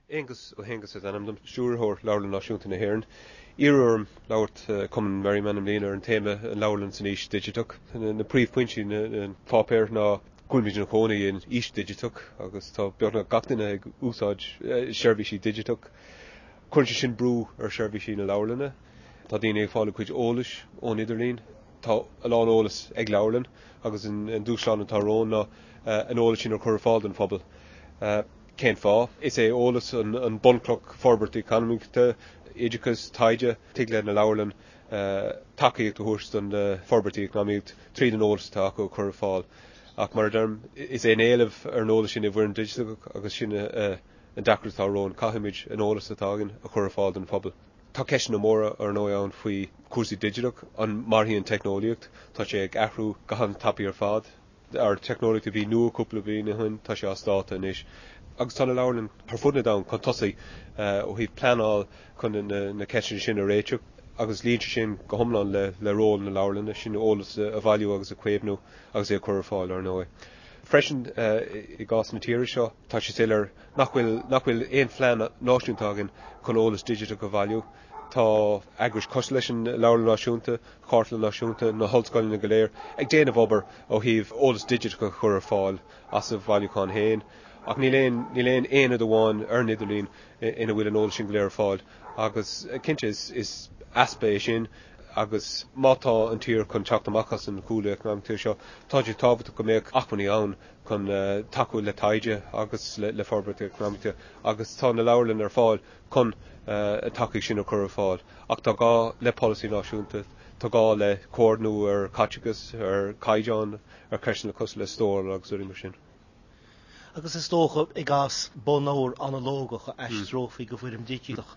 Aengus Ó hAonghusa is ainm dom, Stiúrthóir Leabharlann Náisiúnta na hÉireann. Iarradh orm labhairt ag Cumann Merriman i mbliana ar an téama 'An Leabharlann san Aois Dhigiteach'. Na príomhphointí ina pháipéar ná go bhfuilimid ina chónaí in aois dhigiteach agus tá beagnach gach duine ag úsáid seirbhísí digiteach. Cuireann sé sin brú ar sheirbhísí na leabharlainne. Tá daoine ag fáil a gcuid eolais ón idirlíon. Tá a lán eolas ag leabharlann agus an dúshlán atá romhainn ná an eolas sin a chur ar fáil don phobal. Cén fáth? Is é eolas an bunchloch forbairt eacnamaíochta, oideachas, taighde. Tig le na leabharlann tacaíocht a thabhairt don forbairt eacnamaíocht tríd an eolas atá acu a chur ar fáil. Ach mar a deirim, is é an éileamh ar an eolas sin i bhfoirm digiteach agus sin an deacracht atá romhainn. Caithfimid an eolas atá againn a chur ar fáil don phobal. Tá ceisteanna móra, ar ndóigh, ann faoi chúrsaí digiteach. An mairfidh an teicneolaíocht? Tá sé ag athrú go han-tapaidh ar fad. An teicneolaíocht a bhí nua cúpla bliain ó shin, tá sé as dáta anois. Agus tá na leabharlann ar fud na domhan chun tosaigh ó thaobh pleanáil chun na ceisteanna sin a réiteach agus luíonn sé sin go hiomlán le ról na leabharlainne, sin eolas a bhailiú agus a chaomhnú agus é a chur ar fáil, ar ndóigh. Freisin, i gcás na tíre seo, tá sé soiléir nach bhfuil nach bhfuil aon phlean náisiúnta againn chun eolas digiteach a bhailiú. Tá eagrais cosúil leis an Leabharlann Náisiúnta, Chartlann Náisiúnta, na hollscoileanna go léir ag déanamh obair ó thaobh eolas digiteach a chur ar fáil as a bhailiúcháin féin ach níl aon níl aon aonad amháin ar an idirlíon ina bhfuil an eolas sin go léir ar fáil agus cinnte is is easpa é sin agus má tá an tír chun teacht amach as an chúlú eacnamaíochta seo tá sé tábhachtach go mbeadh acmhainní ann chun tacú le taighde agus le forbairt eacnamaíochta agus tá na leabharlanna ar fáil chun an tacaíocht sin a chur ar fáil. Ach tá gá le polasaí náisiúnta, tá gá le comhordnú ar chaiteachas, ar chaighdeán, ar cheisteanna cosúil le stóráil agus rudaí mar sin. Agus is dócha, i gcás bunleabhar analógach a aistreofaí go foirm dhigiteach,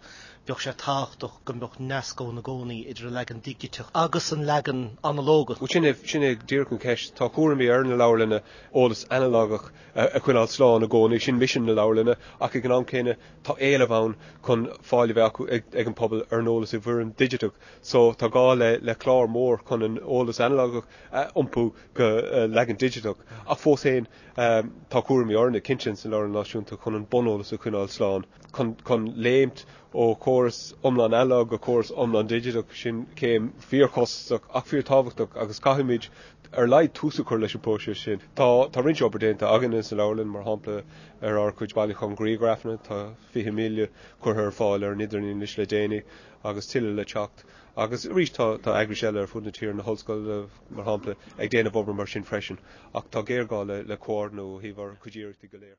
bheadh sé tábhachtach go mbeadh nasc ann i gcónaí idir an leagan digiteach agus an leagan analógach. Bhuel, sin é, sin é díreach an cheist. Tá cúraimí ar na leabharlanna eolas analógach a choinneáil slán i gcónaí, sin misean na leabharlainne, ach ag an am céanna tá éileamh ann chun fáil a bheith acu ag an pobal ar an eolas i bhfoirm digiteach so tá gá le le clár mór chun an eolas analógach a iompú go leagan digiteach ach fós féin tá cúraimí orainne cinnte sa Leabharlann Náisiúnta chun an buneolas a choinneáil slán chun chun léimt ó chóras iomlán analóg go córas iomlán digiteach sin céim fíorchostasach ach fíorthábhachtach agus caithfimid ar a laghad tús a chur leis an bpróiseas sin. Tá tá roinnt obair déanta againne sa leabharlann mar shampla ar ár gcuid bailiúchán grianghrafanna, tá 20,000 curtha ar fáil ar an idirlíon anois le déanaí agus tuilleadh le teacht. Agus arís tá tá eagrais eile ar fud na tíre, na hollscoileanna mar shampla, ag déanamh obair mar sin freisin. Ach tá géarghá le le comhordnú ó thaobh ár gcuid iarrachtaí go léir.